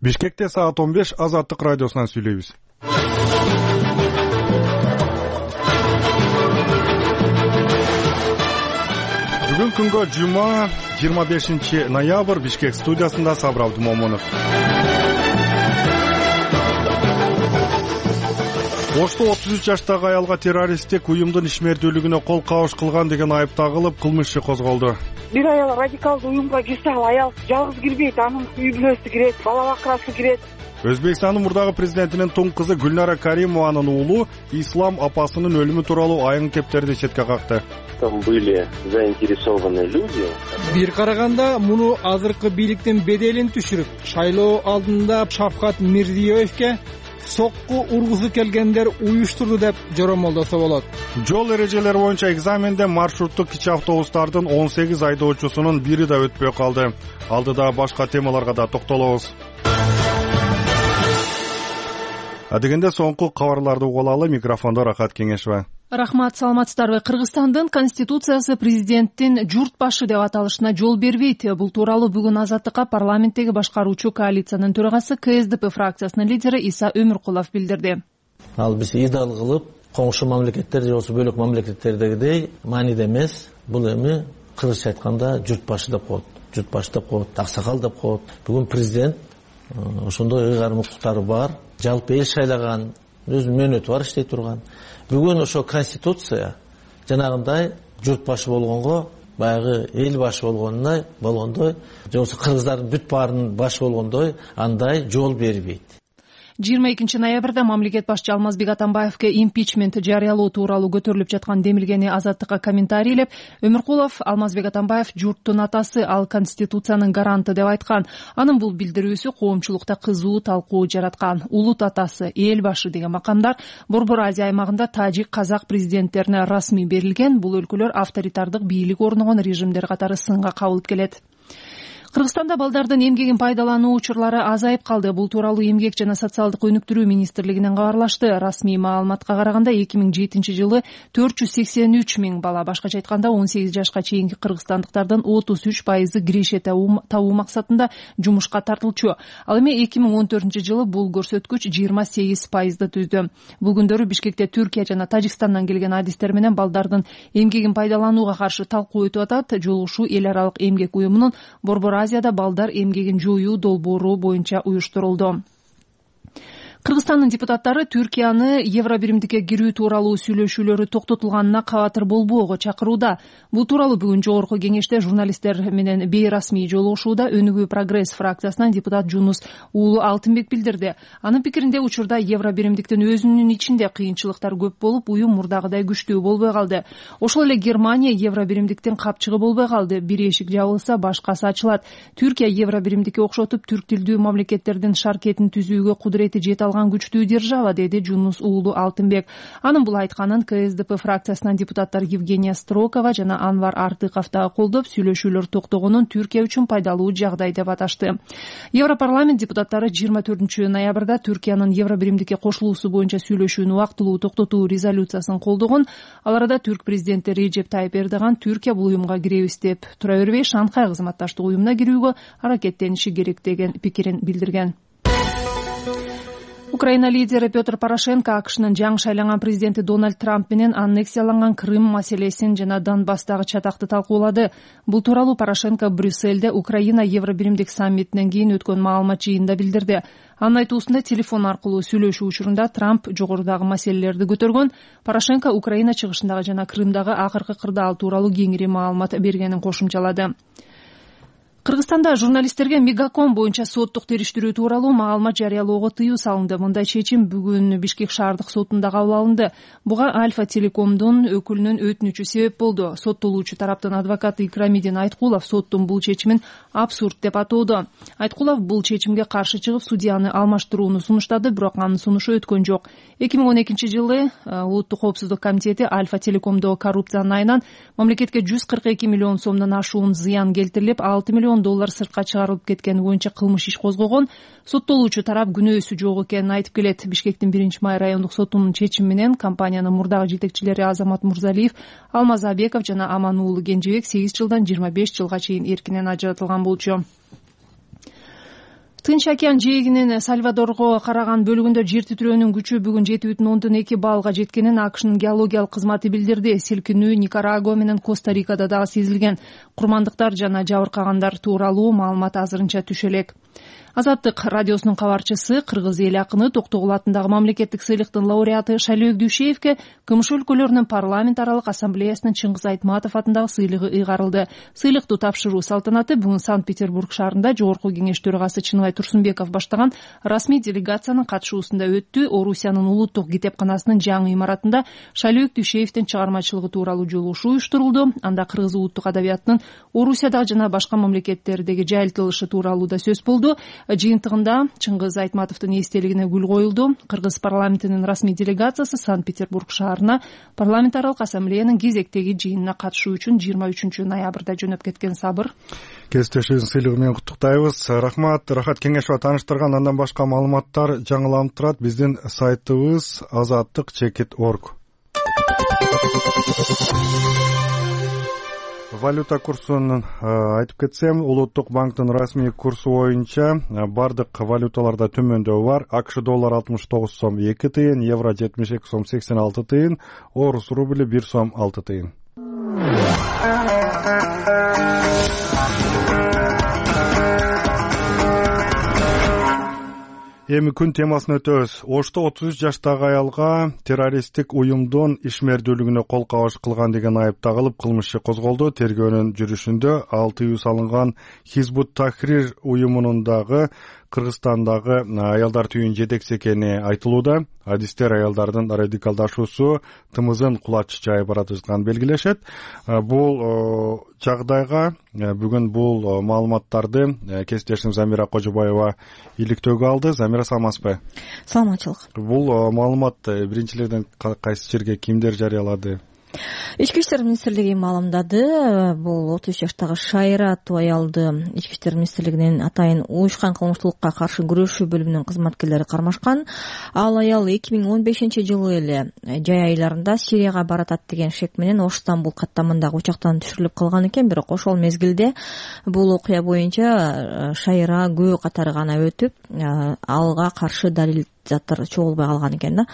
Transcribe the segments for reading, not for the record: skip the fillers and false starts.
Бишкекте саат 15 Азаттык радиосунан сүйлөйбүз. Бүгүн күнгө жума 25 ноябрь Бишкек студиясында Сабыр Абдумомунов. Ошто 33 жаштагы аялга террористтик уюмдун ишмердүүлүгүнө кол кабыш кылган деген айып тагылып, кылмыш иши козголду. Бир аял радикалдуу уюмга кирсе, ал аял жалгыз кирбейт, анын үй бүлөсү кирет, бала бакырасы кирет. Өзбекстандын мурдагы президентинин туң кызы Гүлнара Каримованын уулу Ислам апасынын өлүмү тууралуу айын кептерди четке какты. Там были заинтересованные люди. Бир караганда муну азыркы бийликтин беделин түшүрүп, шайлоо алдында Шавкат Мирзиёевке сокку ургусу келгендер уюштурду деп жоромолдосо болот. Жол эрежелери боюнча экзаменде маршруттук кичи автобустардын 18 айдоочусунун бири да өтпөй калды. Алдыда башка темаларга да токтолобуз. Адегенде соңку кабарларды угуп алалы. Микрофондо Рахат Кеңешева. Рахмат, саламатсыздарбы? Кыргызстандын конституциясы президенттин журт башы деп аталышына жол бербейт. Бул тууралуу бүгүн Азаттыкка парламенттеги башкаруучу коалициянын төрагасы КСДП фракциясынын лидери Иса Өмүркулов билдирди. Ал биз идеал кылып, коңшу мамлекеттер же болсо бөлөк мамлекеттердегидей мааниде эмес, бул эми кыргызча айтканда журт башы деп коет. Журт башы деп коет, аксакал деп коет. Бүгүн президент ошондой ыйгарым укуктары бар, жалпы эл шайлаган, өзүнүн мөөнөтү бар, иштей турган. Бүгүн ошо конституция жанагындай журт башы болгонго, баягы эл башы болгондой, же болбосо кыргыздардын бүт баарынын башы болгондой андай жол бербейт. 22 ноябрда мамлекет башчы Алмазбек Атамбаевке импичмент жарыялоо тууралуу көтөрүлүп жаткан демилгени Азаттыкка комментарийлеп, Өмүркулов Алмазбек Атамбаев журттун атасы, ал конституциянын гаранты деп айткан. Анын бул билдирүүсү коомчулукта кызуу талкуу жараткан. Улут атасы, эл башы деген макамдар Борбор Азия аймагында тажик, казак президенттерине расмий берилген. Бул өлкөлөр авторитардык бийлик орногон режимдер катары сынга кабылып келет. Кыргызстанда балдардын эмгегин пайдалануу учурлары азайып калды. Бул тууралуу Эмгек жана социалдык өнүктүрүү министрлигинен кабарлашты. Расмий маалыматка караганда 2007-жылы 483 миң бала, башкача айтканда 18 жашка чейинки кыргызстандыктардын 33% киреше табуу максатында жумушка тартылчу. Ал эми 2014-жылы бул көрсөткүч 28%ды түздү. Бул күндөрү Бишкекте Түркия жана Тажикстандан келген адистер менен балдардын эмгегин пайдаланууга каршы талкуу өтүп атат. Жолугушуу эл аралык эмгек уюмунун Борбор Азияда балдар эмгегин жоюу долбоору боюнча уюштурулду. Кыргызстандын депутаттары Түркияны Евробиримдикке кирүү тууралуу сүйлөшүүлөрү токтотулганына кабатыр болбоого чакырууда. Бул тууралуу бүгүн жогорку кеңеште журналисттер менен бейрасмий жолугушууда Өнүгүү Прогресс фракциясынан депутат Жунус уулу Алтынбек билдирди. Анын пикиринде учурда Евробиримдиктин өзүнүн ичинде кыйынчылыктар көп болуп, уюм мурдагыдай күчтүү болбой калды. Ошол эле Германия Евробиримдиктин капчыгы болбой калды. Бир эшик жабылса, башкасы ачылат. Түркия Евробиримдикке окшотуп түрк тилдүү мамлекеттердин шаркетин түзүүгө кудурети жете күчтүү держава, деди Жунус уулу Алтынбек. Анын бул айтканын КСДП фракциясынан депутаттар Евгения Строкова жана Анвар Артыков да колдоп, сүйлөшүүлөр токтогонун Түркия үчүн пайдалуу жагдай деп аташты. Европарламент депутаттары 24 ноябрда Түркиянын Евробиримдикке кошулуусу боюнча сүйлөшүүнү убактылуу токтотуу резолюциясын колдогон. Ал арада түрк президенти Режеп Тайып Эрдоган Түркия бул уюмга киребиз деп тура бербей, Шанхай кызматташтык уюмуна кирүүгө аракеттениши керек деген пикирин билдирген. Украина лидери Петр Порошенко АКШнын жаңы шайланган президенти Дональд Трамп менен аннексияланган Крым маселесин жана Донбасстагы чатакты талкуулады. Бул тууралуу Порошенко Брюссельде Украина Евробиримдик саммитинен кийин өткөн маалымат жыйынында билдирди. Анын айтуусунда телефон аркылуу сүйлөшүү учурунда Трамп жогорудагы маселелерди көтөргөн. Порошенко Украина чыгышындагы жана Крымдагы акыркы кырдаал тууралуу кеңири маалымат бергенин кошумчалады. Кыргызстанда журналисттерге Мегаком боюнча соттук териштирүү тууралуу маалымат жарыялоого тыюу салынды. Мындай чечим бүгүн Бишкек шаардык сотунда кабыл алынды. Буга Альфа Телекомдун өкүлүнүн өтүнүчү себеп болду. Соттолуучу тараптын адвокаты Икрамидин Айткулов соттун бул чечимин абсурд деп атоодо. Айткулов бул чечимге каршы чыгып, судьяны алмаштырууну сунуштады, бирок анын сунушу өткөн жок. 2012-жылы Улуттук коопсуздук комитети Альфа Телекомдогу коррупциянын айынан мамлекетке 142 миллион сомдон ашуун зыян келтирилип, 6 миллион доллар сыртка чыгарылып кеткени боюнча кылмыш иш козгогон. Соттолуучу тарап күнөөсү жок экенин айтып келет. Бишкектин 1-май райондук сотунун чечими менен компаниянын мурдагы жетекчилери Азамат Мурзалиев, Алмаз Абеков жана Аман уулу Кенжебек 8 жылдан 25 жылга чейин эркинен ажыратылган болчу. Тынч океан жээгинин Сальвадорго караган бөлүгүндө жер титирөөнүн күчү бүгүн 7,2 баллга жеткенин АКШнын геологиялык кызматы билдирди. Силкинүү Никарагуа менен Коста-Рикада дагы сезилген. Курмандыктар жана жабыркагандар тууралуу маалымат азырынча түшө элек. Азаттык радиосунун кабарчысы кыргыз эл акыны Токтогул атындагы мамлекеттик сыйлыктын лауреаты Шалөөк Дүйшеевке КМШ өлкөлөрүнүн парламент аралык ассамблеясынын Чыңгыз Айтматов атындагы сыйлыгы ыйгарылды. Сыйлыкту тапшыруу салтанаты бүгүн Санкт-Петербург шаарында Жогорку Кеңеш төрагасы Чыныбай Турсунбеков баштаган расмий делегациянын катышуусунда өттү. Орусиянын улуттук китепканасынын жаңы имаратында Шалөөк Дүйшеевдин чыгармачылыгы тууралуу жолугушуу уюштурулду. Анда кыргыз улуттук адабиятынын Орусиядагы жана башка мамлекеттердеги жайылтылышы тууралуу да сөз болду. Жыйынтыгында Чыңгыз Айтматовдун эстелигине гүл коюлду. Кыргыз парламентинин расмий делегациясы Санкт-Петербург шаарына парламент аралык ассамблеянын кезектеги жыйынына катышуу үчүн 23 ноябрда жөнөп кеткен. Сабыр. Кесиптешибиздин сыйлыгы менен куттуктайбыз. Рахмат Кеңешова тааныштырган. Андан башка маалыматтар жаңыланып турат биздин сайтыбыз azattik.org. Валюта курсун айтып кетсем, Улуттук банктын расмий курсу боюнча бардык валюталарда төмөндөбү бар. АКШ доллар 69 сом 2 тыйын, евро 72 сом 86 тыйын, орус рубли 1 сом 6 тыйын. Эми күн темасын өтөбүз. Ошто 33 жаштагы аялга террористтик уюмдун ишмердүүлүгүнө кол кабыш кылган деген айып тагылып кылмыш иши козголду. Тергөөнүн жүрүшүндө ал тыюу салынган Хизбут Тахрир уюмунун дагы Кыргызстандагы аялдар түйүнүн жетекчиси экени айтылууда. Адистер аялдардын радикалдашуусу тымызын кулач жайып баратышканын белгилешет. Бул жагдайга бүгүн бул маалыматтарды кесиптешим Замира Кожобаева иликтөөгө алды. Замира, саламатсызбы? Саламатчылык. Бул маалымат биринчилерден кайсы жерге кимдер жарыялады? Ички иштер министрлиги маалымдады. Бул 33 жаштагы Шайра аттуу аялды Ички иштер министрлигинин атайын уюшкан кылмыштуулукка каршы күрөшүү бөлүмүнүн кызматкерлери кармашкан. Ал аял 2015-жылы эле жай айларында Сирияга баратат деген шек менен Ош Стамбул каттамындагы учактан түшүрүлүп калган экен. Бирок ошол мезгилде бул окуя боюнча Шайра күбө катары гана өтүп, алга каршы далил заттар чогулбай калган экен да.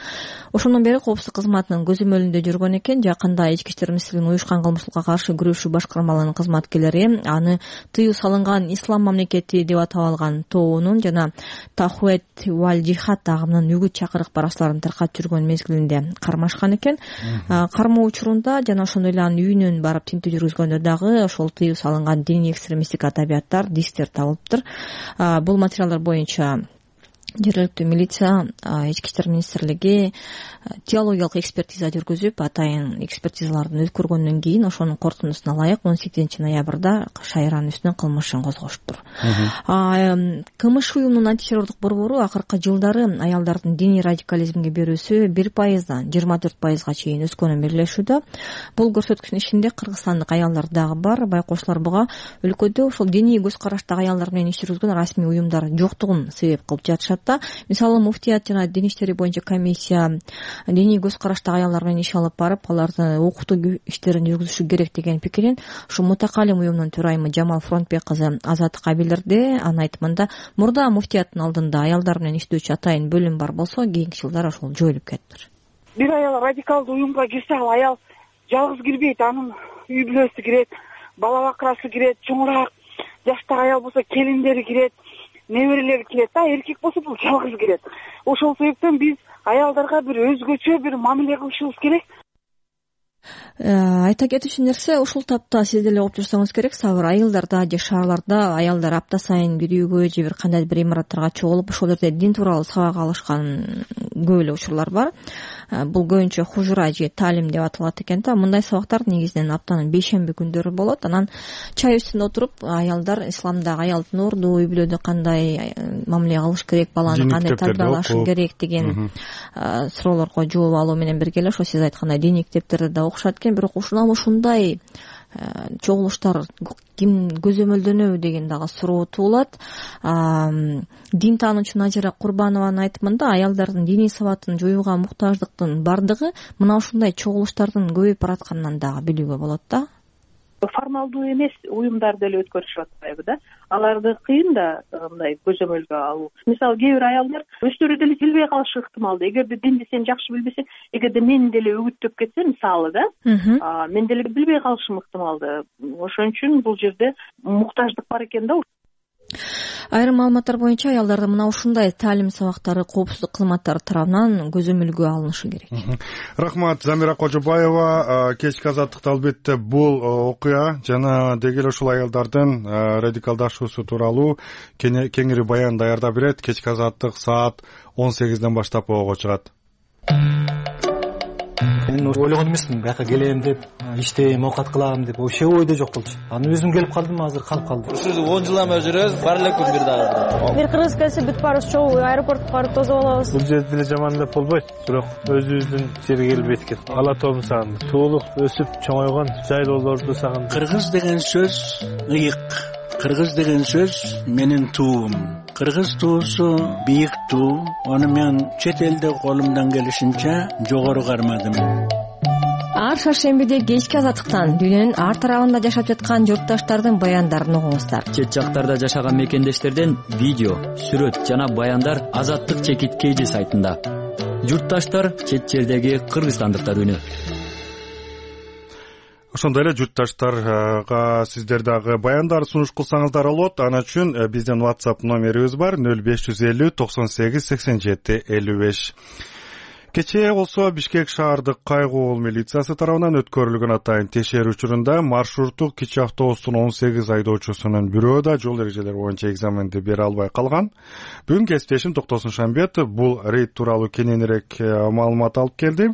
Ошондон бери коопсуздук кызматынын көзөмөлүндө жүргөн экен. Жакында Ички иштер министрлигинин уюшкан кылмыштуулукка каршы күрөшүү башкармаларынын кызматкерлери аны тыюу салынган ислам мамлекети деп атап алган тобунун жана Тахует валь Джихад агымынын үгүт чакырык баракчаларын таркатып жүргөн мезгилинде кармашкан экен. Кармоо учурунда жана ошондой эле анын үйүнөн барып тинтүү жүргүзгөндө дагы ошол тыюу салынган диний экстремисттик адабияттар, дисктер табылыптыр. Бул материалдар боюнча жергиликтүү милиция, Ички иштер министрлиги теологиялык экспертиза жүргүзүп, атайын экспертизаларды өткөргөндөн кийин ошонун корутундусуна ылайык 18 ноябрда Шайранын үстүнөн кылмыш ишин козгоштур. КМШ уюмунун антитеррордук борбору акыркы жылдары аялдардын диний радикализмге берүүсү 1%дан 24%га чейин өскөнүн белгилешүүдө. Бул көрсөткүчтүн ичинде кыргызстандык аялдар дагы бар. Байкоочулар буга өлкөдө ошол диний көз караштагы аялдар менен иш жүргүзгөн расмий уюмдар жоктугун себеп кылып жатышат. Мисалы муфтият жана дин иштери боюнча комиссия диний көз караштагы аялдар менен иш алып барып, аларды окутуу иштерин жүргүзүшү керек деген пикирин ушу мутакалим уюмунун төрайымы Жамал Фронтбек кызы Азаттыкка билдирди. Анын айтымында, мурда муфтияттын алдында аялдар менен иштөөчү атайын бөлүм бар болсо, кийинки жылдары ошол жоюлуп кетиптир. Бир аял радикалдуу уюмга кирсе, ал аял жалгыз кирбейт, анын үй бүлөсү кирет, бала бакырасы кирет, чоңураак жаштагы аял болсо келиндери кирет, неберелери кирет да, эркек болсо бул жалгыз кирет. Ошол себептен биз аялдарга бир өзгөчө бир мамиле кылышыбыз керек. Айта кетүүчү нерсе, ушул тапта сиз деле окуп жүрсөңүз керек, Сабыр, айылдарда же шаарларда аялдар апта сайын бир үйгө же бир кандайдыр бир имараттарга чогулуп ошол жерде дин тууралуу сабак алышкан көп эле учурлар бар. Бул көбүнчө хужура же таалим деп аталат экен да. Мындай сабактар негизинен аптанын бейшемби күндөрү болот. Анан чай үстүндө отуруп аялдар исламдагы аялдын орду, үй бүлөдө кандай мамиле кылыш керек, баланы кандай тарбиялаш керек деген суроолорго жооп алуу менен бирге эле ошо сиз айткандай диний китептерди да окушат экен. Бирок ушундай чогулуштар ким көзөмөлдөнөбү деген дагы суроо туулат. Дин таануучу Назира Курбанованын айтымында, аялдардын диний сабатын жоюуга муктаждыктын бардыгы мына ушундай чогулуштардын көбөйүп баратканынан дагы билүүгө болот да. формалдуу эмес уюмдар деле өткөрүшүп атпайбы да, аларды кыйын да мындай көзөмөлгө алуу. Мисалы кээ бир аялдар өздөрү деле билбей калышы ыктымал. Эгерде динди сен жакшы билбесең, эгерде мен деле үгүттөп кетсем мисалы да, мен деле билбей калышым ыктымал да. Ошон үчүн бул жерде муктаждык бар экен да. Айрым маалыматтар боюнча аялдарда мына ушундай таалим сабактары коопсуздук кызматтары тарабынан көзөмөлгө алынышы керек. Рахмат, Замира Кожобаева. Кечки азаттыкта албетте бул окуя жана деги эле ушул аялдардын радикалдашуусу тууралуу кеңири баян даярдап берет. Кечки азаттык саат 18ден баштап ого чыгат. Мен ойлогон эмесмин бияка келем деп, иштейм, оокат кылам деп, вообще ойдо жок болчу. Аны өзүм келип калдым, азыр калып калдым. Ушул 10 жылдан бери жүрөбүз, бар эле күн бир дагы. Бир кыргыз келсе бүт барыбыз чогуу аэропортко барып тосуп алабыз. Бул жерде деле жаман деп болбойт, бирок өзүбүздүн жерге келип эткет. Ала тоомду сагындым. Туулук өсүп чоңойгон жайлоолорду сагындым. Кыргыз деген сөз ыйык. Кыргыз деген сөз менин туум. Кыргыз туусу бийик туу. Аны мен чет элде колумдан келишинче жогору кармадым. Ар шаршембиде кечки азаттыктан дүйнөнүн ар тарабында жашап жаткан журтташтардын баяндарын угуңуздар. Чет жактарда жашаган мекендештерден видео, сүрөт жана баяндар Азаттык чекит KG сайтында. Журтташтар чет жердеги кыргызстандыктар үнү. Ошондой эле журтташтарга сиздер дагы баяндар сунуш кылсаңыздар болот. Аны үчүн биздин WhatsApp номерибиз бар 0550 98 87 55. Кечээ болсо Бишкек шаардык кайгуу милициясы тарабынан өткөрүлгөн атайын текшерүү учурунда маршруттук кичи автобустун 18 айдоочусунун бирөө да жол эрежелери боюнча экзаменди бере албай калган. Бүгүн кесиптешим Токтосун Шамбетов бул рейд тууралуу кененирээк маалымат алып келди.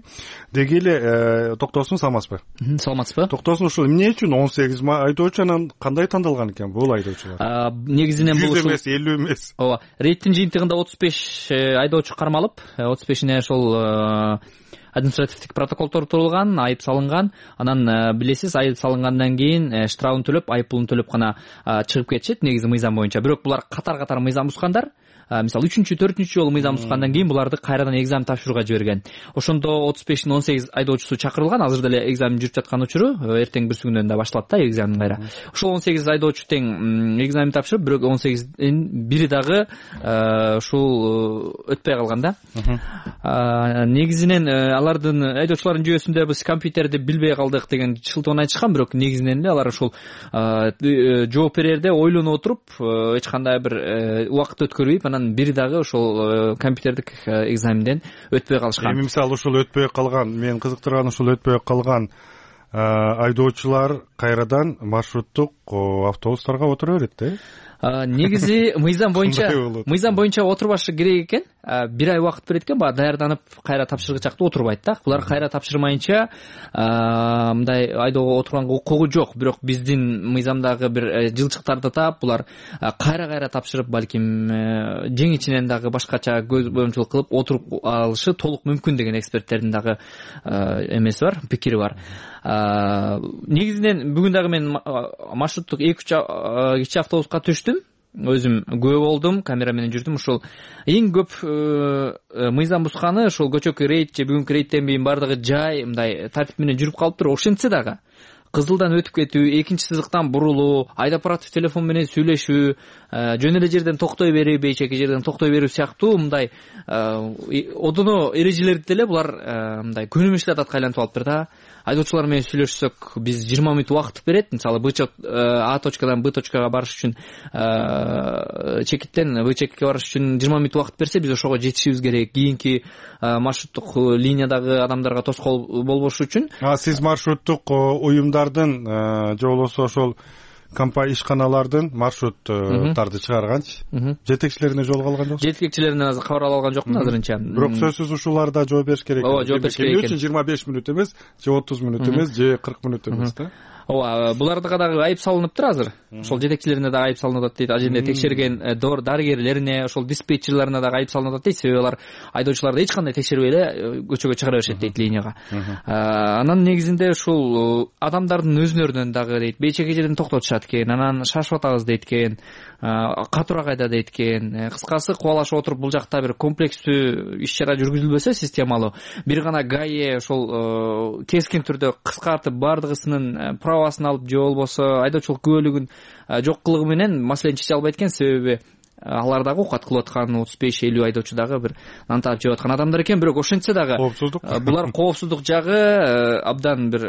Деги эле Токтосун саламатсызбы? Саламатсызбы? Токтосун ушул эмне үчүн 18 айдоочу анан кандай тандалган экен бул айдоочулар? Негизинен бул 100 эмес, 50 эмес. Ооба, рейдтин жыйынтыгында 35 айдоочу кармалып, 35ине ошол административдик протоколдор турулган, айып салынган. Анан билесиз, айып салынгандан кийин штрафын төлөп, айыппулун төлөп гана чыгып кетишет негизи мыйзам боюнча. Бирок булар катар-катар мыйзам бузгандар. Мисалы 3-чү, 4-чү жолу мыйзам бузгандан кийин буларды кайрадан экзамен тапшырууга жиберген. Ошондо 35-тин 18 айдоочусу чакырылган. Азыр деле экзамен жүрүп жаткан учуру, эртең бир күндөн да башталат да экзамен кайра. Ошол 18 айдоочу тең экзамен тапшырып, бирок 18дин бири дагы ушул өтпөй калган да. Негизинен алардын айдоочулардын жүйөсүндө биз компьютерди билбей калдык деген шылтоон айтышкан, бирок негизинен эле алар ушул жооп берерде ойлонуп отуруп, эч кандай бир убакыт өткөрбөйп, бири дагы ошол компьютердик экзаменден өтпөй калышкан. Эми мисалы ушул өтпөй калган, мен кызыктырган ушул өтпөй калган айдоочулар кайрадан маршруттук автобустарга отура берет да? Негизи мыйзам боюнча отурбашы керек экен. Бир ай убакыт берет экен, баягы даярданып кайра тапшыргычакта отурбайт да. Булар кайра тапшырмайынча мындай айдоого отурганга укугу жок. Бирок биздин мыйзамдагы бир жылчыктарды таап, булар кайра тапшырып, балким жеңичинен дагы башкача көз боюмчулук кылып отуруп алышы толук мүмкүн деген эксперттердин дагы эмеси бар, пикири бар. Негизинен бүгүн дагы мен маршруттук 2-3 кичи автобуска түштүм. Өзүм күбө болдум, камера менен жүрдүм. Ушул эң көп мыйзам бузганы ошол көчөкү рейд же бүгүнкү рейдтен кийин бардыгы жай мындай тартип менен жүрүп калыптыр. Ошентсе дагы кызылдан өтүп кетүү, экинчи сызыктан бурулуу, айдапаратов телефон менен сүйлөшүү, жөн эле жерден токтой берүү, бейчеки жерден токтой берүү сыяктуу мындай одоно эрежелерди деле булар мындай көнүмүш атка айлантып алыптыр да. Айдоочулар менен сүйлөшсөк, биз 20 минут убакыт берет. Мисалы А точкадан Б точкага барыш үчүн, чекиттен Б чекитке барыш үчүн 20 минут убакыт берсе, биз ошого жетишибиз керек. Кийинки маршруттук линиядагы адамдарга тоскоол болбош үчүн. Сиз маршруттук уюмдардын же болбосо ошол компания ишканалардын маршруттарды чыгарганчы? Жетекчилерине жолугуп алган жоксуз? Жетекчилеринен азыр кабар ала алган жокмун азырынча. Бирок сөзсүз ушуларда жооп бериш керек. Ооба, жооп бериш керек экен. 25 минут эмес, же 30 минут эмес, же 40 минут эмес да. Ооба, буларга дагы айып салыныптыр азыр. Ошол жетекчилерине дагы айып салынып атат дейт. Аженде текшерген дарыгерлерине, ошол диспетчерлерине дагы айып салынып атат дейт. Себеби алар айдоочуларды эч кандай текшербей эле көчөгө чыгара беришет дейт линияга. Анан негизинде ушул адамдардын өзүнөрүнөн дагы дейт, бейчеки жерден токтотушат экен, анан шашып атабыз дейт экен, катура кайда дейт экен. Кыскасы кубалашып отуруп бул жакта бир комплекстүү иш-чара жүргүзүлбөсө, системалуу, бир гана ГАИ ошол кескин түрдө кыскартып бардыгысынын прабасын алып же болбосо айдоочулук күбөлүгүн жок кылыгы менен маселени чече албайт экен. Себеби алар дагы оокат кылып аткан 35-50 айдоочу дагы бир нан таап жеп аткан адамдар экен. Бирок ошентсе дагы булар коопсуздук жагы абдан бир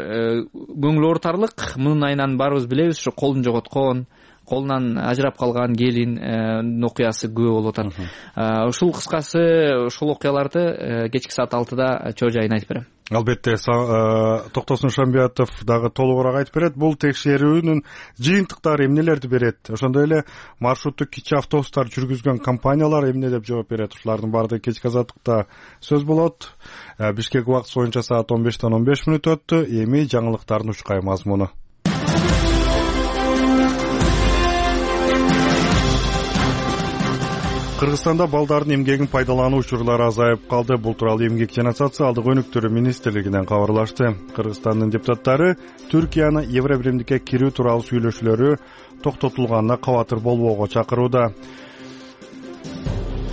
көңүл оорутарлык. Мунун айынан баарыбыз билебиз, ошо колун жоготкон, колунан ажырап калган келин окуясы күбө болуп атат. Ушул кыскасы ушул окуяларды кечки саат 6-да чоо жайын айтып берем. Албетте, Токтосун Шамбиятов дагы толугураак айтып берет. Бул текшерүүнүн жыйынтыктары эмнелерди берет? Ошондой эле маршруттук кичи автобустар жүргүзгөн компаниялар эмне деп жооп берет? Ушулардын баардыгы кечки азаттыкта сөз болот. Бишкек убактысы боюнча саат 15:15 өттү. Эми жаңылыктардын учкай мазмуну. Кыргызстанда балдардын эмгегин пайдалануу учурлары азайып калды. Бул тууралуу Эмгек жана социалдык өнүктүрүү министрлигинен кабарлашты. Кыргызстандын депутаттары Түркияны Евробиримдикке кирүү тууралуу сүйлөшүүлөрү токтотулганына кабатыр болбоого чакырууда.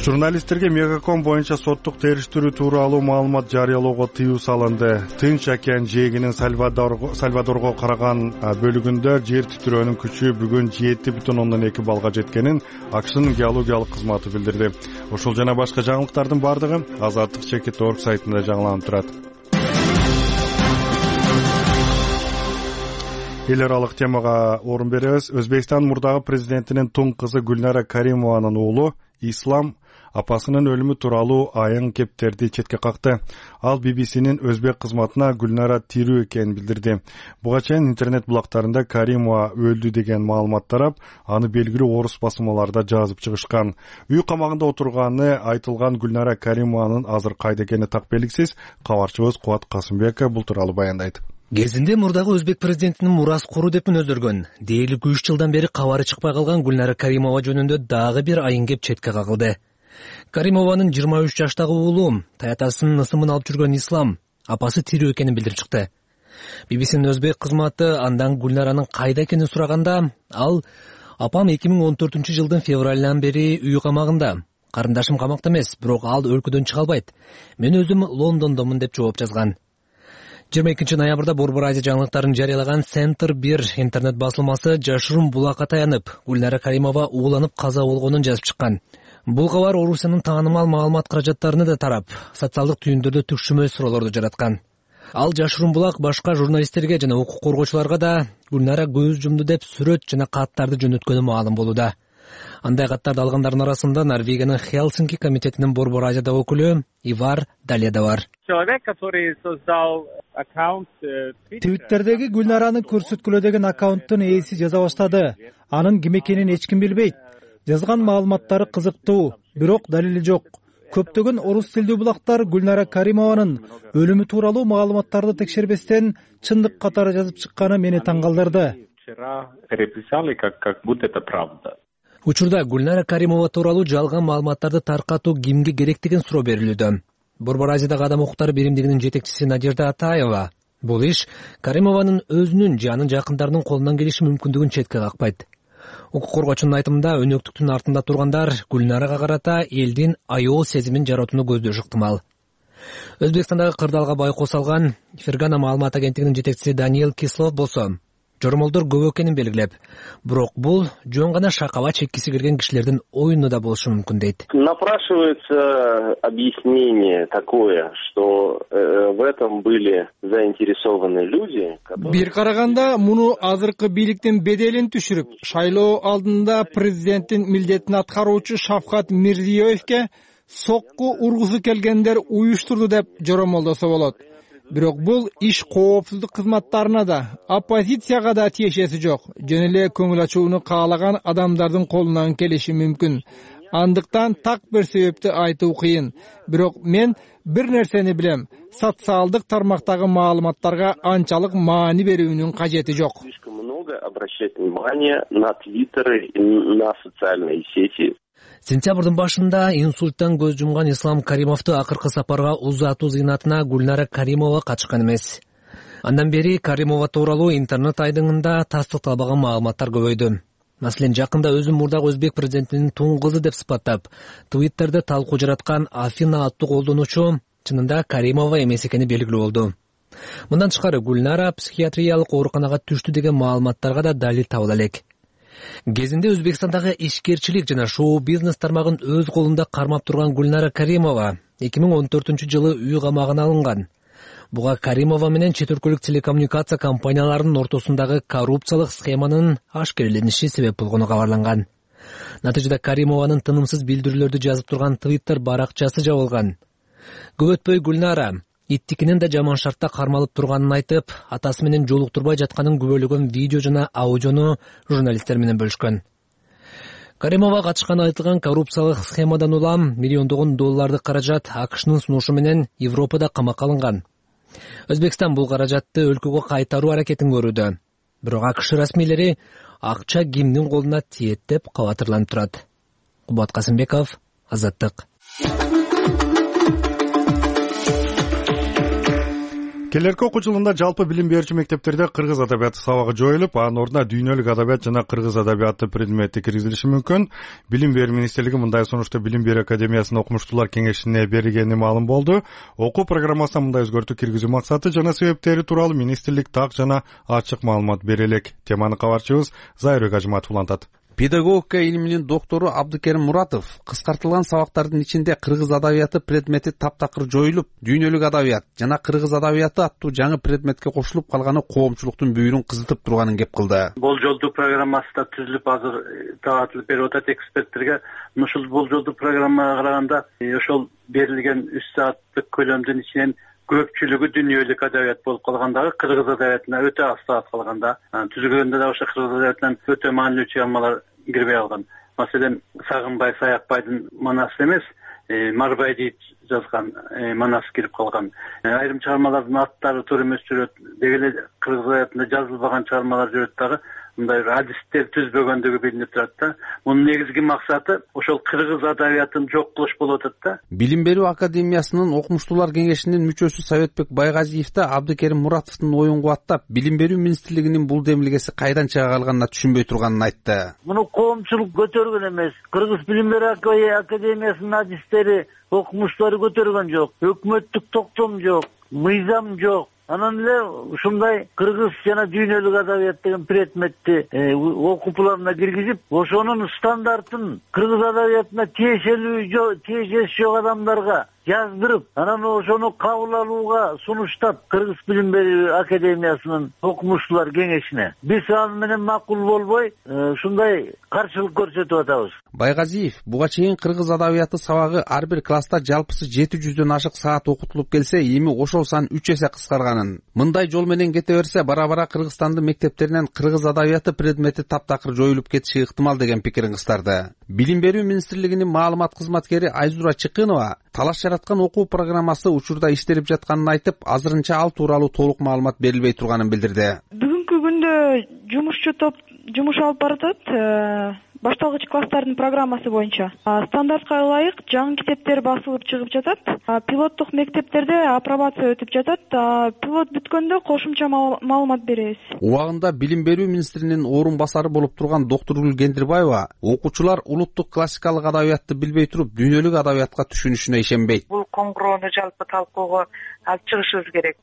Журналисттерге Мегаком боюнча соттук териштирүү тууралуу маалымат жарыялоого тыюу салынды. Тынч океан жээгинин Сальвадорго караган бөлүгүндө жер титирөөнүн күчү бүгүн 7,2 балга жеткенин АКШнын геологиялык кызматы билдирди. Ушул жана башка жаңылыктардын баардыгы Азаттык.org сайтында жаңыланып турат. Эл аралык темага орун беребиз. Өзбекстан мурдагы президентинин тун кызы Гүлнара Каримованын уулу Ислам апасынын өлүмү тууралуу айың кептерди четке какты. Ал BBC'нин өзбек кызматына Гүлнара тирүү экенин билдирди. Буга чейин интернет булактарында Каримова өлдү деген маалымат тарап, аны белгилүү орус басмаларда жазып чыгышкан. Үй камагында отурганы айтылган Гүлнара Каримованын азыр кайда экени так белгисиз. Кабарчыбыз Кубат Касымбеков бул тууралуу баяндайт. Кезинде мурдагы өзбек президентинин мурас куру деп мүнөздөргөн, дээрлик 3 жылдан бери кабары чыкпай калган Гүлнара Каримова жөнүндө дагы бир айың кеп четке кагылды. Каримованын 23 жаштагы уулу таятасынын ысымын алып жүргөн Ислам апасы тирүү экенин билдирип чыкты. BBC'нин өзбек кызматы андан Гүлнаранын кайда экенин сураганда, ал апам 2014 жылдын февралынан бери үй камагында. Карындашым камакта эмес, бирок ал өлкөдөн чыга албайт. Мен өзүм Лондондомун деп жооп жазган. 22 ноябрда Борбор Азия жаңылыктарын жарыялаган Центр 1 интернет басылмасы жашыруун булакка таянып, Гүлнара Каримова ууланып каза болгонун жазып чыккан. Бул кабар Орусиянын таанымал маалымат каражаттарына да тарап, социалдык түйүндөрдө түкшүмө суроолорду жараткан. Ал жашыруун булак башка журналисттерге жана укук коргоочуларга да Гүлнара көз жумду деп сүрөт жана каттарды жөнөткөнү маалым болууда. Андай каттарды алгандардын арасында Норвегиянын Хелсинки комитетинин Борбор Азияда өкүлү Ивар Далия да бар. Твиттердеги Гүлнараны көрсөткүлө деген аккаунттун ээси жаза баштады. Анын ким экенин эч ким билбейт. Жазган маалыматтары кызыктуу, бирок далили жок. Көптөгөн орус тилдүү булактар Гүлнара Каримованын өлүмү тууралуу маалыматтарды текшербестен чындык катары жазып чыкканы мени таң калтырды. Учурда Гүлнара Каримова тууралуу жалган маалыматтарды таркатуу кимге керек деген суроо берилүүдө. Борбор Азиядагы адам укуктары биримдигинин жетекчиси Надежда Атаева бул иш Каримованын өзүнүн же анын жакындарынын колунан келиши мүмкүндүгүн четке какпайт. Укук коргоочунун айтымында өнөктүктүн артында тургандар Гүлнарага карата элдин аял сезимин жаратууну көздөшү ыктымал. Өзбекстандагы кырдаалга байкоо салган Фергана маалымат агенттигинин жетекчиси Даниэл Кислов болсо, жоромолдор көп экенин белгилеп, бирок бул жөн гана шакаба чеккиси келген кишилердин оюну да болушу мүмкүн дейт. Напрашивается объяснение такое, что в этом были заинтересованы люди, которые... Бир караганда муну азыркы бийликтин беделин түшүрүп, шайлоо алдында президенттин милдетин аткаруучу Шавкат Мирзиёевке сокку ургусу келгендер уюштурду деп жоромолдосо болот. Бирок бул иш коопсуздук кызматтарына да, оппозицияга да тиешеси жок. Жөн эле көңүл ачууну каалаган адамдардын колунан келиши мүмкүн. Андыктан так бир себепти айтуу кыйын. Бирок мен бир нерсени билем. Социалдык тармактагы маалыматтарга анчалык маани берүүнүн кажети жок. Слишком много обращать внимание на твиттеры и на социальные сети. Сентябрдын башында инсульттан көз жумган Ислам Каримовду акыркы сапарга узатуу зыйнатына Гүлнара Каримова катышкан эмес. Андан бери Каримова тууралуу интернет айдыңында тастыкталбаган маалыматтар көбөйдү. Маселен, жакында өзүн мурдагы өзбек президентинин тун кызы деп сыпаттап, Твиттерде талкуу жараткан Афина аттуу колдонуучу чынында Каримова эмес экени белгилүү болду. Мындан тышкары Гүлнара психиатриялык ооруканага түштү деген маалыматтарга да далил табыла элек. Кезинде Өзбекстандагы ишкерчилик жана шоу-бизнес тармагын өз колунда кармап турган Гүлнара Каримова 2014-жылы үй камагына алынган. Буга Каримова менен чет өлкөлүк телекоммуникация компанияларынын ортосундагы коррупциялык схеманын ашкерелениши себеп болгону кабарланган. Натыйжада Каримованын тынымсыз билдирүүлөрдү жазып турган Twitter баракчасы жабылган. Көп өтпөй Гүлнара иттикинин да жаман шартта кармалып турганын айтып, атасы менен жолуктурбай жатканын күбөлөгөн видео жана аудиону журналисттер менен бөлүшкөн. Каримова катышканы айтылган коррупциялык схемадан улам миллиондогон долларды каражат АКШнын сунушу менен Европада камакка алынган. Өзбекстан бул каражатты өлкөгө кайтаруу аракетин көрүүдө. Бирок АКШ расмийлери акча кимдин колуна тиет деп кабатырланып турат. Кубат Касымбеков, Азаттык. Келерки окуу жылында жалпы билим берүүчү мектептерде кыргыз адабияты сабагы жоюлуп, анын ордуна дүйнөлүк адабият жана кыргыз адабияты предмети киргизилиши мүмкүн. Билим берүү министрлиги мындай сунушту Билим берүү академиясынын окумуштуулар кеңешине бергени маалым болду. Окуу программасына мындай өзгөртүү киргизүү максаты жана себептери тууралуу министрлик так жана ачык маалымат бере элек. Теманы кабарчыбыз Зайырбек Ажыматов улантат. Педагогика илиминин доктору Абдыкерим Муратов кыскартылган сабактардын ичинде кыргыз адабияты предмети таптакыр жоюлуп, дүйнөлүк адабият жана кыргыз адабияты аттуу жаңы предметке кошулуп калганы коомчулуктун бүйүрүн кызытып турганын кеп кылды. Болжолдуу программасы да түзүлүп азыр таратылып берип атат эксперттерге. Ушул болжолдуу программага караганда ошол берилген 3 сааттык көлөмдүн ичинен көпчүлүгү дүйнөлүк адабият болуп калгандагы кыргыз адабиятына өтө аз саат калганда, түзүлгөндө да ошо кыргыз адабиятынан өтө маанилүү чыгармалар кирбей калган. Маселен, Сагынбай Саякбайдын манасы эмес, Марбай дейт жазган манасы кирип калган. Айрым чыгармалардын аттары туура эмес жүрөт, деги эле кыргыз адабиятында жазылбаган чыгармалар жүрөт дагы. Мындай адистер түзбөгөндүгү билинип турат да. Мунун негизги максаты ошол кыргыз адабиятын жок кылыш болуп атат да. Билим берүү академиясынын окумуштуулар кеңешинин мүчөсү Советбек Байгазиев да Абдыкерим Муратовдун оюн кубаттап, Билим берүү министрлигинин бул демилгеси кайдан чыга калганына түшүнбөй турганын айтты. Муну коомчулук көтөргөн эмес. Кыргыз билим берүү академиясынын адистери, окумуштуулары көтөргөн жок. Өкмөттүк токтом жок, мыйзам жок. Анан эле ушундай кыргыз жана дүйнөлүк адабият деген предметти окуу планына киргизип, ошонун стандартын кыргыз адабиятына тиешеси жок адамдарга жаздырып, анан ошону кабыл алууга сунуштап Кыргыз билим берүү академиясынын окумуштуулар кеңешине. Биз аны менен макул болбой, ушундай каршылык көрсөтүп атабыз. Байгазиев буга чейин кыргыз адабияты сабагы ар бир класста жалпысы 700дөн ашык саат окутулуп келсе, эми ошол сан 3 эсе кыскарганын. Мындай жол менен кете берсе, бара-бара Кыргызстандын мектептеринен кыргыз адабияты предмети таптакыр жоюлуп кетиши ыктымал деген пикирин кыстарды. Билим берүү министрлигинин маалымат кызматкери Айзура Чыкынова талаш жараткан окуу программасы учурда иштелип жатканын айтып, азырынча ал тууралуу толук маалымат берилбей турганын билдирди. Бүгүнкү күндө жумушчу топ жумуш алып баратат. Башталгыч класстардын программасы боюнча стандартка ылайык жаңы китептер басылып чыгып жатат. Пилоттук мектептерде апробация өтүп жатат. Пилот бүткөндө кошумча маалымат беребиз. Убагында Билим берүү министринин орун басары болуп турган доктор Гендирбаева окуучулар улуттук классикалык адабиятты билбей туруп, дүйнөлүк адабиятка түшүнүшүнө ишенбейт. Бул коңгуроону жалпы талкуого алып чыгышыбыз керек.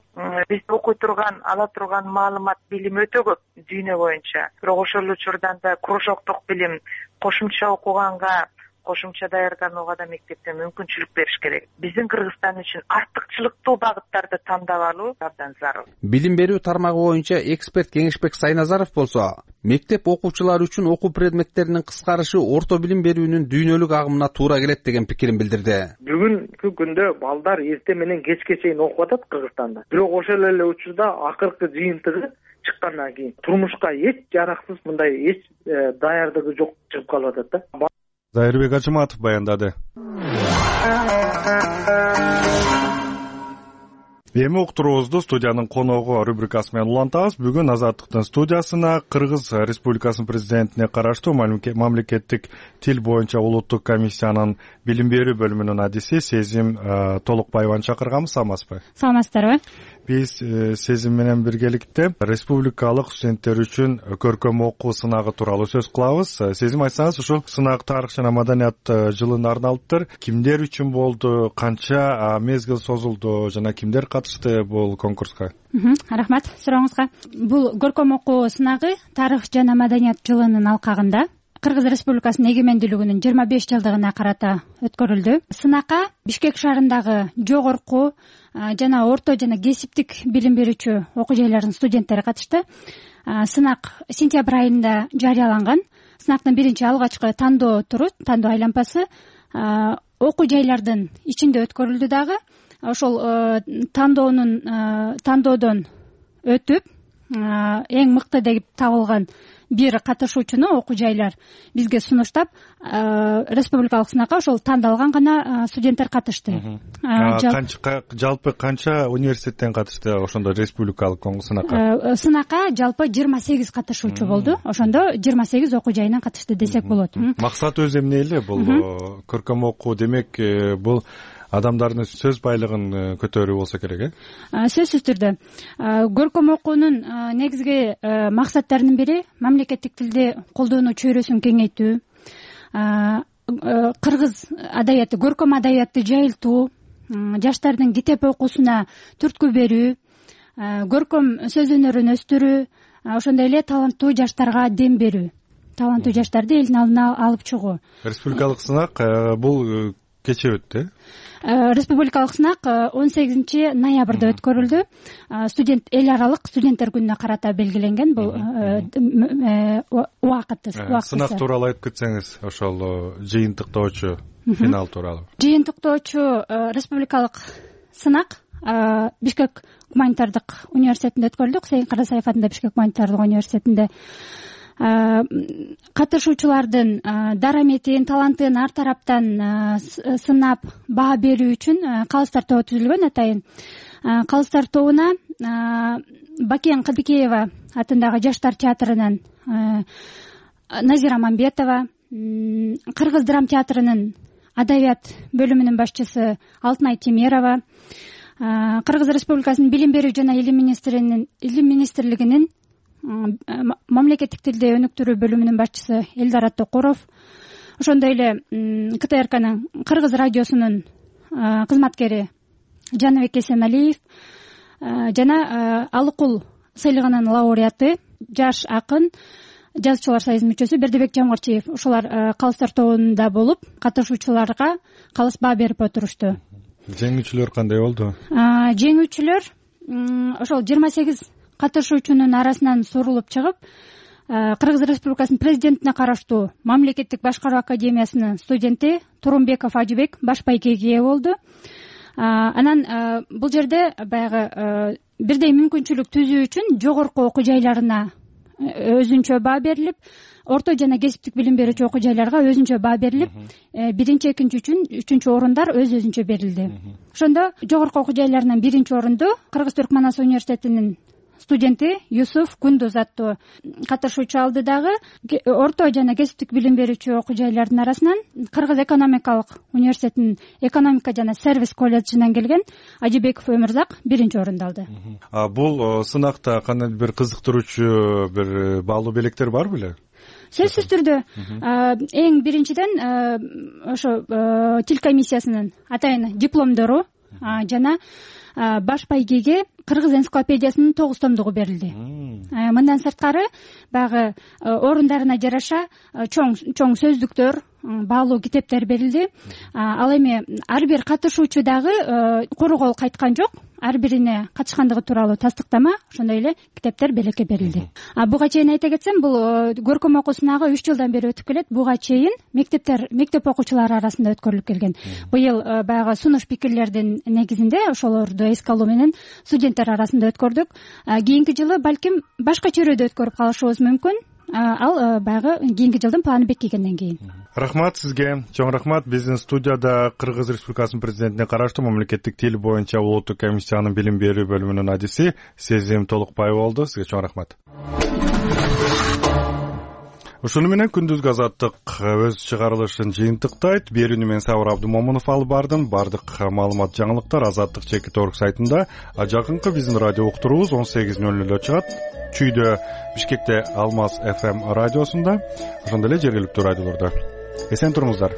Биз окуй турган, ала турган маалымат, билим өтө көп дүйнө боюнча. Бирок ошол учурдан да кружоктук билим, кошумча окуганга, кошумча даярданууга да мектепте мүмкүнчүлүк бериш керек. Биздин Кыргызстан үчүн артыкчылыктуу багыттарды тандап алуу абдан зарыл. Билим берүү тармагы боюнча эксперт Кеңешбек Сайназаров болсо, мектеп окуучулары үчүн окуу предметтеринин кыскарышы орто билим берүүнүн дүйнөлүк агымына туура келет деген пикирин билдирди. Бүгүнкү күндө балдар эрте менен кечке чейин окуп атат Кыргызстанда. Бирок ошол эле учурда акыркы жыйынтыгы чыккандан кийин турмушка эч жараксыз, мындай эч даярдыгы жок чыгып калып атат да. Зайырбек Ажыматов баяндады. Эми уктуруубузду студиянын коногу рубрикасы менен улантабыз. Бүгүн Азаттыктын студиясына Кыргыз Республикасынын президентине караштуу мамлекеттик тил боюнча улуттук комиссиянын билим берүү бөлүмүнүн адиси Сезим Толукбаеваны чакырганбыз. Саламатсызбы? Саламатсыздарбы? Биз Сезим менен биргеликте республикалык студенттер үчүн көркөм окуу сынагы тууралуу сөз кылабыз. Сезим, айтсаңыз, ушул сынак тарых жана маданият жылына арналыптыр. Кимдер үчүн болду, канча мезгил созулду жана кимдер катышты бул конкурска? Рахмат сурооңузга. Бул көркөм окуу сынагы тарых жана маданият жылынын алкагында Кыргыз Республикасынын эгемендүүлүгүнүн 25 жылдыгына карата өткөрүлдү. Сынакка Бишкек шаарындагы жогорку жана орто жана кесиптик билим берүүчү окуу жайлардын студенттери катышты. Сынак сентябрь айында жарыяланган. Сынактын биринчи алгачкы тандоо туру, тандоо айлампасы окуу жайлардын ичинде өткөрүлдү дагы. Ошол тандоодон өтүп эң мыкты деп табылган бир катышуучуну окуу жайлар бизге сунуштап, республикалык сынакка ошол тандалган гана студенттер катышты. Жалпы канча университеттен катышты ошондо республикалык сынакка? Сынакка жалпы 28 катышуучу болду. Ошондо 28 окуу жайынан катышты десек болот. Максат өзү эмне эле? Бул көркөм окуу демек бул адамдардын сөз байлыгын көтөрүү болсо керек, Сөзсүз түрдө. Көркөм окуунун негизги максаттарынын бири мамлекеттик тилде колдонуу чөйрөсүн кеңейтүү, кыргыз адабияты, көркөм адабиятты жайылтуу, жаштардын китеп окуусуна түрткү берүү, көркөм сөз өнөрүн өстүрүү, ошондой эле таланттуу жаштарга дем берүү, таланттуу жаштарды элдин алдына алып чыгуу. Республикалык сынак бул кечээ өттү. Республикалык сынак 18 ноябрда өткөрүлдү. Студент эл аралык студенттер күнүнө карата белгиленген бул убакыт. Сынак тууралуу айтып кетсеңиз, ошол жыйынтыктоочу финал тууралуу. Жыйынтыктоочу республикалык сынак Бишкек гуманитардык университетинде өткөрүлдү. Хусейин Карасаев атындагы Бишкек гуманитардык университетинде. Катышуучулардын дараметин, талантын ар тараптан сынап баа берүү үчүн калыстар тобу түзүлгөн. Атайын калыстар тобуна Бакен Кадыкеева атындагы жаштар театрынын Назира Мамбетова, Кыргыз драм театрынын адабият бөлүмүнүн башчысы Алтынай Темерова, Кыргыз Республикасынын билим берүү жана илим министрлигинин мамлекеттик тилде өнүктүрүү бөлүмүнүн башчысы Элдар Аттокуров, ошондой эле КТРКнын Кыргыз радиосунун кызматкери Жаныбек Эсеналиев жана Алыкул сыйлыгынын лауреаты, жаш акын, жазуучулар союзунун мүчөсү Бердибек Жамгырчиев ошолар калыстар тобунда болуп, катышуучуларга калыс баа берип отурушту. Жеңүүчүлөр кандай болду? Жеңүүчүлөр ошол 28 катышуучунун арасынан сурулуп чыгып, Кыргыз Республикасынын президентине караштуу Мамлекеттик башкаруу академиясынын студенти Турумбеков Ажыбек баш байгеге ээ болду. Анан бул жерде баягы бирдей мүмкүнчүлүк түзүү үчүн жогорку окуу жайларына өзүнчө баа берилип, орто жана кесиптик билим берүүчү окуу жайларга өзүнчө баа берилип, биринчи, экинчи, үчүнчү орундар өзүнчө берилди. Ошондо жогорку окуу жайларынан биринчи орунду Кыргыз Түркманас университетинин студенти Юсуф Кундуз аттуу катышуучу алды. Дагы орто жана кесиптик билим берүүчү окуу жайлардын арасынан Кыргыз экономикалык университетинин экономика жана сервис колледжинен келген Ажыбеков Өмүрзак биринчи орунду алды. Бул сынакта кандайдыр бир кызыктыруучу бир баалуу белектер бар беле? Сөзсүз түрдө эң биринчиден ошо тил комиссиясынын атайын дипломдору жана баш байгеге Кыргыз энциклопедиясынын 9 томдугу берилди. Мындан сырткары баягы орундарына жараша чоң сөздүктөр, баалуу китептер берилди. Ал эми ар бир катышуучу дагы куру кол кайткан жок. Ар бирине катышкандыгы тууралуу тастыктама, ошондой эле китептер белекке берилди. Буга чейин айта кетсем, бул көркөм окуу сынагы 3 жылдан бери өтүп келет. Буга чейин мектеп окуучулары арасында өткөрүлүп келген. Быйыл баягы сунуш пикирлердин негизинде ошолорду эске алуу менен студенттер арасында өткөрдүк. Кийинки жылы балким башка чөйрөдө өткөрүп калышыбыз мүмкүн. Ал баягы кийинки жылдын планы бекигенден кийин. Рахмат сизге. Чоң рахмат. Биздин студияда Кыргыз Республикасынын президентине караштуу мамлекеттик тил боюнча улуттук комиссиянын билим берүү бөлүмүнүн адиси Сезим Толукбай болду. Сизге чоң рахмат. Ушуну менен күндүзгү азаттык өз чыгарылышын жыйынтыктайт. Берүүнү мен Сабыр Абдумомунов алып бардым. Бардык маалымат, жаңылыктар azаттык.org сайтында. Жакынкы биздин радио уктуруубуз 18:00 чыгат. Чүйдө Бишкекте Алмаз FM радиосунда, ошондой эле жергиликтүү радиолордо. Эсен туруңуздар.